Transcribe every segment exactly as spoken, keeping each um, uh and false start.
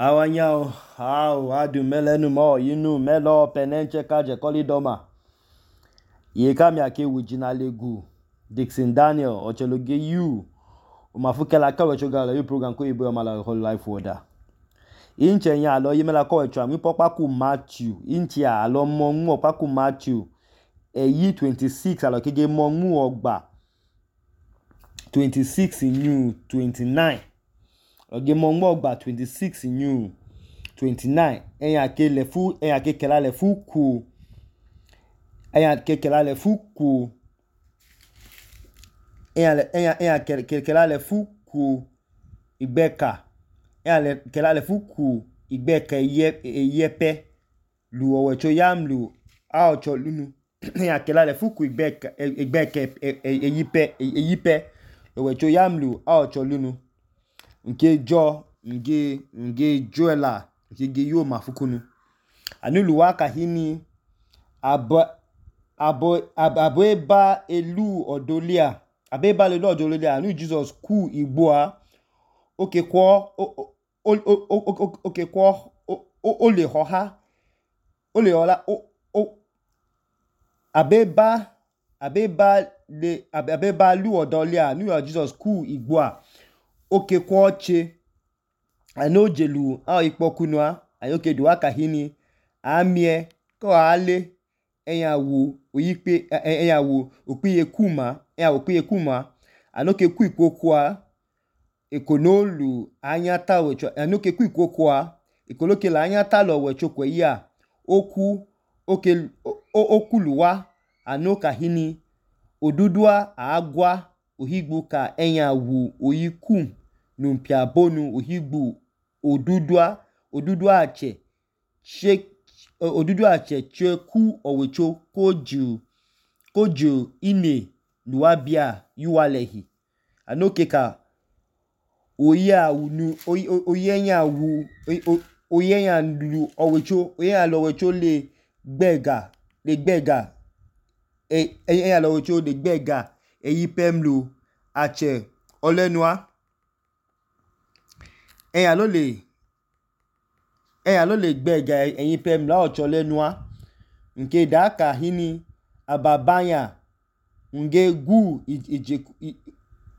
Awanyao, how adu melenu mo yinu melo penenche kaje kolidoma. Ye kami ake wijina legu Dixon Daniel ocheloge you umafuke la kawe chogala yu program ko ibo mala whole life order. Inche nya alo yimela ko echo mi popa ku Matthew inchi alo mo nwo pa ku Matthew eyi twenty-six alo kege mo nwo ogba twenty-six new twenty-nine. Oge mo nwo ogba twenty-six new twenty-nine eyan ke le fu eyan ke kela le fu ku eyan ke kela le fu ku eyan eyan eyan ke kela le fu ku igbeka eyan le kela le fu ku igbeka eye eyepe lu owecho yamlu a ocho lunu eyan kela le fu ku igbeka igbeka eyipe eyipe owecho yamlu a ocho lunu nke jo nge nge joela nge yo mafukunu anulu waka hini abo abo abo eba elu odolia abeba elu odolia anu Jesus ku igboa oke kwo oke kwo o le hoha o le hola o abeba abeba le abeba elu odolia anu Jesus ku igboa oke kwo che ano jelu a ipokunua ayoke duwa kahini amie ko ale eyan wo oyipe eyan wo opiye kuma eyan wo opiye kuma anoke ku ikokua ekonolu anyata wecho anoke ku ikokua ikoloke la anyata lo wecho kweya oku oke okuluwa anoka hini odudua agwa ohigbu ka eyan wo oyiku numpia bonu ohigbu odudua odudua ache che odudua ache che ku owecho koju koju ine luabia yuwalehi anoke ka oya unu oyenya wu oyenya lu owecho oyenya lo owecho le gbega le gbega e eyenya lo owecho le gbega eyipemlu ache olenua eyan lo le eyan lo le gbega eyipemlu a ocho lenua nke daka hini ababanya nge gu ije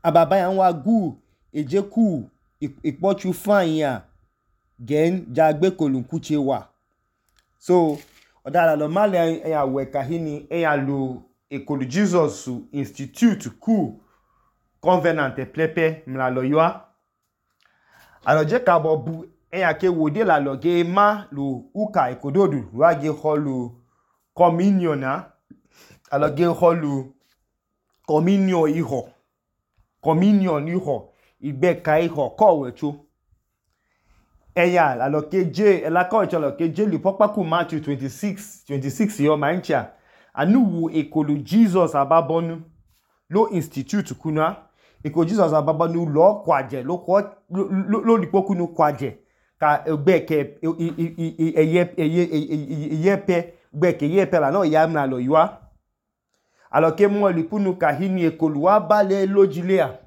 ababanya nwa gu ejeku ipochu fanya gen jagbe kolunkuche wa so odala lo male eyan weka hini eyan lo ekolu Jesus Institute ku Covenant plepe mla lo yoa aloje ka bobu eyan ke wode la lo ge ma lo uka ekododu wa ge holu communion na alo ge holu communion iho communion iho igbeka iho ko wecho eya la lo keje ela ko wecho lo keje lu popa ku Matthew twenty-six twenty-six yo mancha anu wo ekolu Jesus ababonu lo institute kuna ekolu Jesus ababonu lo kwaje lo ko lo lipokunu kwaje ka gbeke eye eye eyepe gbeke yepe la no ya na lo ywa aloke mo lipunu ka hini ekolu wa bale lojilea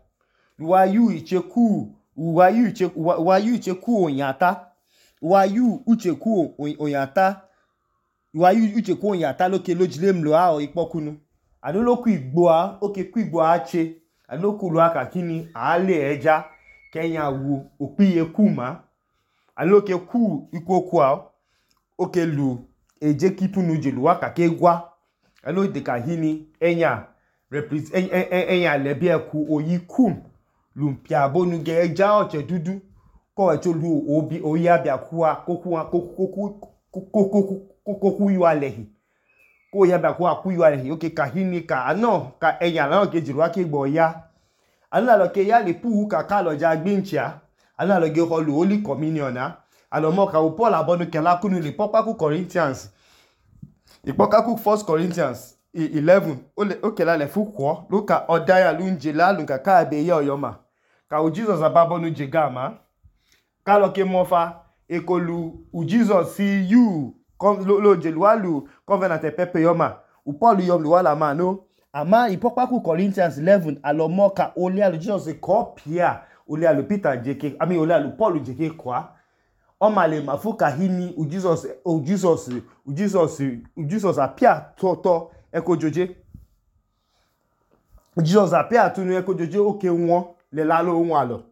wa yu icheku wa yu icheku wa yu icheku onyata wa yu ucheku onyata wa yu ucheku onyata loke lojile mlo a ipokunu anu loku igboa oke ku igboa ache anu loku lu aka kini ale eja kenya wu opiye kuma anu loke ku ikokua oke lu eje kipunu jelu aka ke gwa anu de ka hini enya represent enya lebi eku oyikum lumpia bonu ge eja oche dudu ko echo lu obi oya bia kuwa kokuwa koku koku koku yualehi ko ya bia kuwa ku yualehi oke ka hini ka ano ka enya la ke jiru ake gbo ya anu la lo ke ya le pu ka ka lo ja gbinchia anu la lo ge holu holy communion na alo mo ka Paul abonu ke la kunu le popa ku Corinthians ipoka ku First Corinthians eleven ole oke la le fu kwo lo ka odaya lunje la lu ka ka be ye oyoma ka o Jesus ababonu jegama ka lo ke mofa ekolu u Jesus si you lo lo jelualu Covenant pepe yoma u Paul yom lu wala ma no ama ipopa ku Corinthians eleven alo mo ka ole alu Jesus ko pia ole alu Peter jeke ami ole alu Paul jeke kwa ọma le mafu kahini u Jesus u Jesus u Jesus u Jesus apia tọtọ ekojoje Jesus apia tunu ekojoje oke won le la lo won alo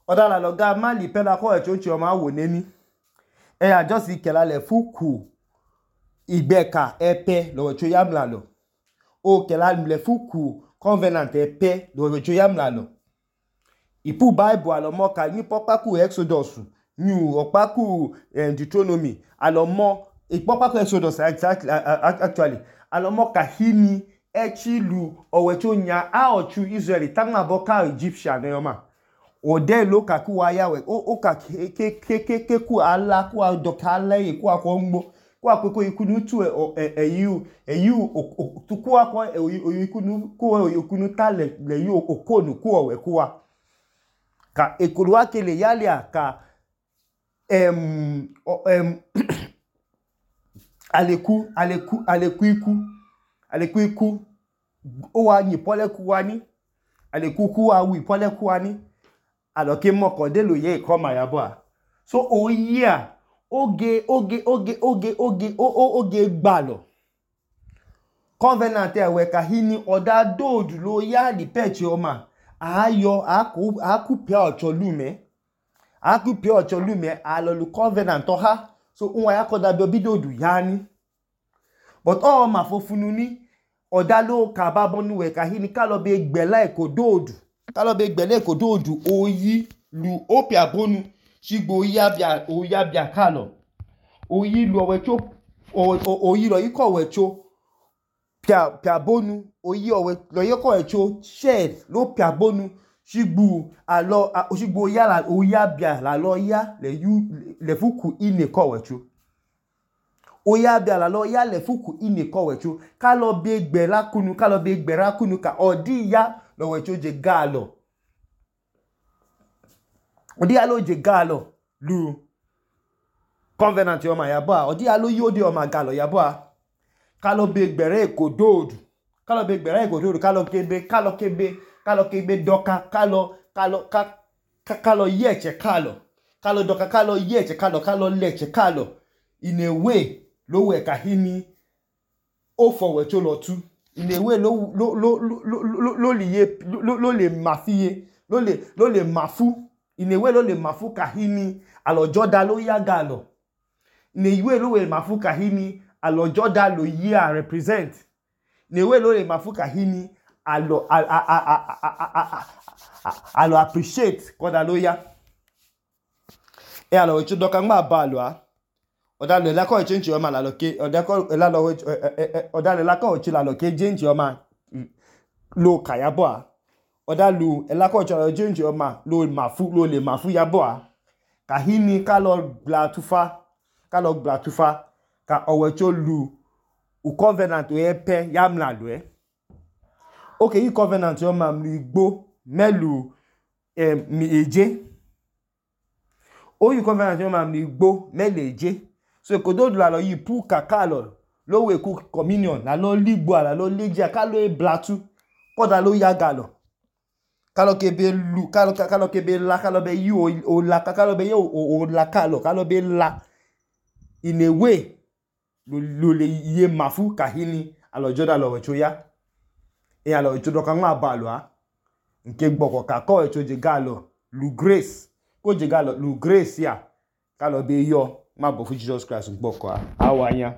oda la lo ga ma li pe la ko e chochi o ma wo neni e ya just ikela le fuku igbeka epe lo cho yam la lo o kela le fuku covenant epe lo cho yam la lo ipu bible alo mo ka ni popaku Exodus ni opaku Deuteronomy alo mo ipopaku Exodus actually alo mo ka hini echilu owecho nya a ochu Israel tanga boka Egyptian e ma o de lo ka ku wa yawe o o ka ke ke ke ke ku ala ku adoka le ku akonmo ku akoko ikunu tu eyu eyu tu ku akọ ikunu ku ikunu tale le yu okonu ku owe ku wa ka ekuru akele yalia ka em em aleku aleku aleku iku aleku iku o wa yin pole ku wa ni aleku ku wa wi pole ku wa ni aloke moko de lo ye ko ma yabo a so o year oge oge oge oge oge o oge gbalo covenant e we ka hini oda dodu lo ya li pechi o ma ayo aku aku pe ocho lume aku pe ocho lume alo lu covenant to ha so unwa ya ko da bi obidodu yani but o ma fofunu ni oda lo ka babonu we ka hini ka lo be gbela e ko dodu ka lo be gbele ko dodu oyi lu opia bonu shigbo ya bia o ya bia ka lo oyi lu owecho oyi lo iko wecho pia pia bonu oyi owe lo yoko echo shed lo pia bonu shigbu alo shigbo ya la oya bia la lo ya le yu le fuku ine ko wecho oya bia la lo ya le fuku ine ko wecho ka lo be gbe la kunu ka lo be gbe ra kunu ka odi ya lo wecho je galo odi ya lo je galo lu covenant yo ma yabo odi ya lo yode o ma galo yabo kalo be gbere ko dodu kalo be gbere ko dodu kalo kebe kalo kebe kalo kebe doka kalo kalo ka kalo yeche kalo kalo doka kalo yeche kalo kalo leche kalo in a way lo we ka hini o fowe cho lo tu in a way lo lo lo lo lo liye lo le mafiye lo le lo le mafu in a way lo le mafu ka hini alo joda lo ya galo in a way lo we mafu ka hini alo joda lo year represent ne we lo le mafuka hini alo alo appreciate koda lo ya e alo chu doka ngba ba lo a oda le la ko change o ma la lo ke oda ko la lo oda le la ko chi la lo ke change o ma lo kayabo a oda lu e la ko change o ma lo mafu lo le mafu yabo a ka hini ka lo bla tufa ka lo bla tufa ka owecho lu u covenant we pe yamla lo e okay yi covenant yo ma mi igbo melu eh, mi eje o yi covenant yo ma mi igbo mele eje so ko do la lo yi pu kaka lo lo we ku communion la lo ligbo la lo leje ka lo e blatu koda lo ya galo kalo kebe lu kalo kalo kebe la kalo be yi o la kalo be yi o la kalo kalo be la in a way lo le ye mafu kahini alo joda lo wecho ya e alo wecho do kan ma ba lo a nke gboko ka ko wecho je galo lu grace ko je galo lu grace ya ka lo be yo ma bo fu Jesus Christ gboko a awanya